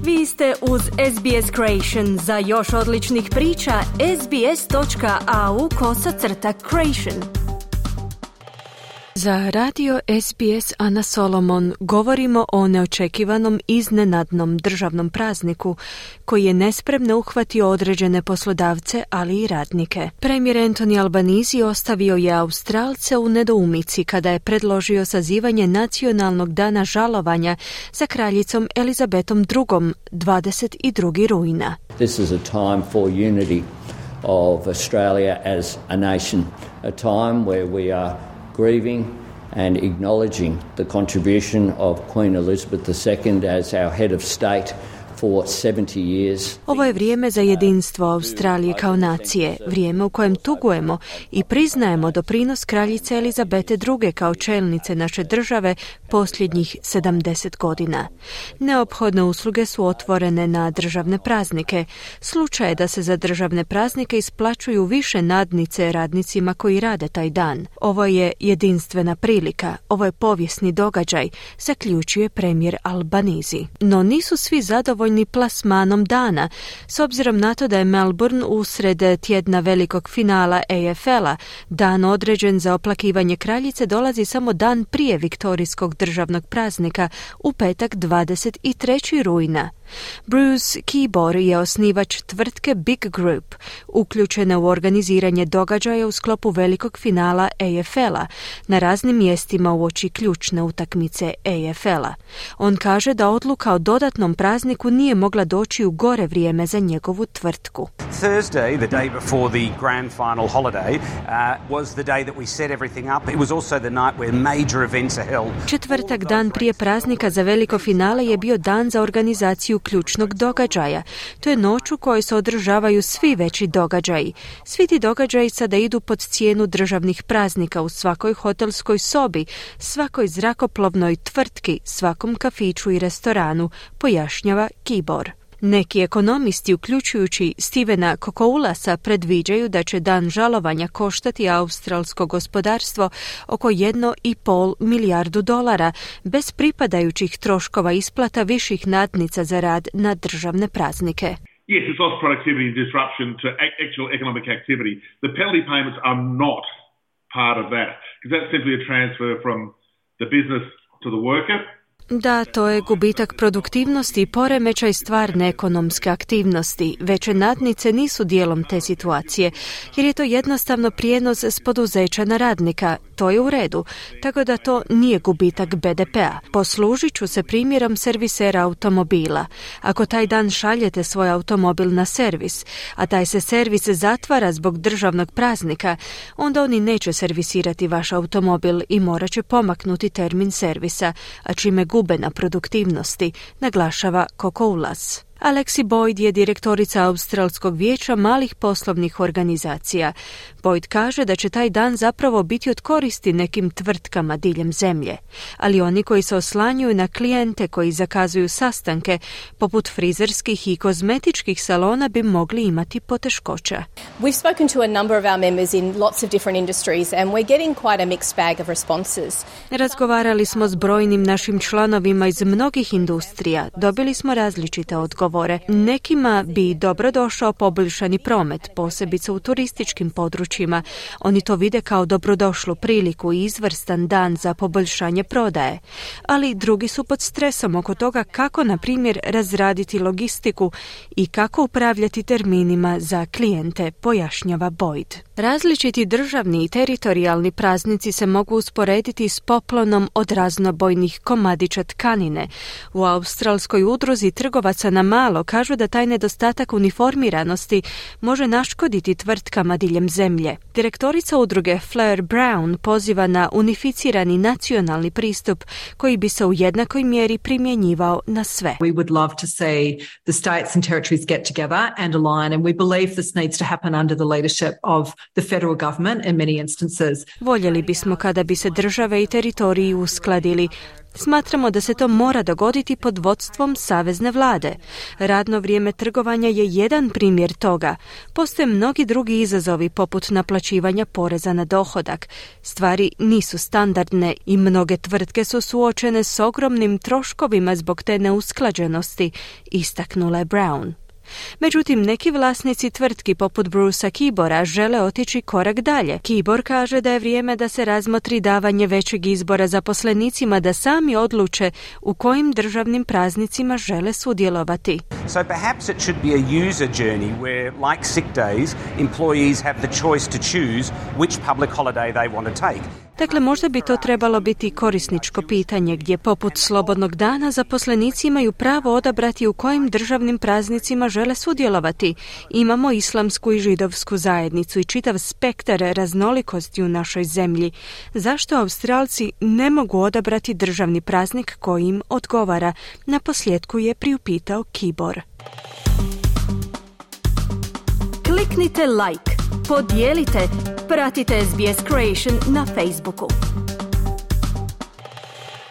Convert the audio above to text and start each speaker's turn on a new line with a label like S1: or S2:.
S1: Vi ste uz SBS Creation. Za još odličnih priča, sbs.au/creation. Za radio SBS Ana Solomon govorimo o neočekivanom iznenadnom državnom prazniku koji je nespremno uhvatio određene poslodavce, ali i radnike. Premijer Anthony Albanese ostavio je Australce u nedoumici kada je predložio sazivanje nacionalnog dana žalovanja za kraljicom Elizabetom II. 22. rujna.
S2: This is a time for unity of Australia as a nation, a time where we are grieving and acknowledging the contribution of Queen Elizabeth II as our head of state for 70 years.
S1: Ovo je vrijeme za jedinstvo Australije kao nacije, vrijeme u kojem tugujemo i priznajemo doprinos kraljice Elizabete II. Kao čelnice naše države posljednjih 70 godina. Neophodne usluge su otvorene na državne praznike. Slučaj je da se za državne praznike isplaćuju više nadnice radnicima koji rade taj dan. Ovo je jedinstvena prilika, ovo je povijesni događaj, zaključuje premijer Albanese. No nisu svi zadovoljni plasmanom dana, s obzirom na to da je Melbourne usred tjedna velikog finala AFL-a. Dan određen za oplakivanje kraljice dolazi samo dan prije viktorijskog državnog praznika, u petak 23. rujna. Bruce Kibor je osnivač tvrtke Big Group, uključena u organiziranje događaja u sklopu velikog finala AFL-a na raznim mjestima uoči ključne utakmice AFL-a. On kaže da odluka o dodatnom prazniku nije mogla doći u gore vrijeme za njegovu tvrtku.
S3: Thursday, the day before the grand final holiday, was the day that we set everything up. It was also the night where major events are held.
S1: Četvrtak, dan prije praznika za veliko finale, je bio dan za organizaciju ključnog događaja. To je noć u kojoj se održavaju svi veći događaji. Svi ti događaji sada idu pod cijenu državnih praznika u svakoj hotelskoj sobi, svakoj zrakoplovnoj tvrtki, svakom kafiću i restoranu, pojašnjava Kibor. Neki ekonomisti, uključujući Stevena Kokoulasa, predviđaju da će dan žalovanja koštati australsko gospodarstvo oko $1,5 milijardu bez pripadajućih troškova isplata viših nadnica za rad na državne praznike.
S4: Yes, it's lost productivity and disruption to actual economic activity. The penalty payments are not part of that, because that's simply a transfer from the business to the worker.
S1: Da, to je gubitak produktivnosti i poremećaj stvarne ekonomske aktivnosti. Veće nadnice nisu dijelom te situacije, jer je to jednostavno prijenos s poduzeća na radnika. To je u redu, tako da to nije gubitak BDP-a. Poslužit ću se primjerom servisera automobila. Ako taj dan šaljete svoj automobil na servis, a taj se servis zatvara zbog državnog praznika, onda oni neće servisirati vaš automobil i morat će pomaknuti termin servisa, a čime gube na produktivnosti, naglašava Kokoulas. Alexi Boyd je direktorica Australskog vijeća malih poslovnih organizacija. Boyd kaže da će taj dan zapravo biti od koristi nekim tvrtkama diljem zemlje, ali oni koji se oslanjuju na klijente koji zakazuju sastanke, poput frizerskih i kozmetičkih salona, bi mogli imati poteškoća.
S5: We've spoken to a number of our members in lots of different industries and we're getting quite a mixed bag of responses.
S1: Razgovarali smo s brojnim našim članovima iz mnogih industrija. Dobili smo različite odgovore. Nekima bi dobro došao poboljšani promet, posebice u turističkim područjima. Oni to vide kao dobrodošlu priliku i izvrstan dan za poboljšanje prodaje. Ali drugi su pod stresom oko toga kako, na primjer, razraditi logistiku i kako upravljati terminima za klijente, pojašnjava Boyd. Različiti državni i teritorijalni praznici se mogu usporediti s poplonom od raznobojnih komadića tkanine. U australskoj udruzi trgovaca na malo kažu da taj nedostatak uniformiranosti može naškoditi tvrtkama diljem zemlje. Direktorica udruge Fleur Brown poziva na unificirani nacionalni pristup koji bi se u jednakoj mjeri primjenjivao na sve.
S6: We would love to see the states and territories get together and align, and we believe this needs to happen under the leadership of the federal government in many instances.
S1: Voljeli bismo kada bi se države i teritoriji uskladili. Smatramo da se to mora dogoditi pod vodstvom savezne vlade. Radno vrijeme trgovanja je jedan primjer toga. Postoje mnogi drugi izazovi poput naplaćivanja poreza na dohodak. Stvari nisu standardne i mnoge tvrtke su suočene s ogromnim troškovima zbog te neusklađenosti, istaknula je Brown. Međutim, neki vlasnici tvrtki poput Brucea Kibora žele otići korak dalje. Kibor kaže da je vrijeme da se razmotri davanje većeg izbora zaposlenicima da sami odluče u kojim državnim praznicima žele sudjelovati.
S3: So perhaps it should be a user journey where, like sick days, employees have the choice to choose which public holiday they want to take.
S1: Dakle, možda bi to trebalo biti korisničko pitanje gdje poput slobodnog dana zaposlenici imaju pravo odabrati u kojim državnim praznicima žele sudjelovati. Imamo islamsku i židovsku zajednicu i čitav spektar raznolikosti u našoj zemlji. Zašto Australci ne mogu odabrati državni praznik koji im odgovara? Naposljetku je priupitao Kibor. Kliknite like, podijelite, pratite SBS Creation na Facebooku.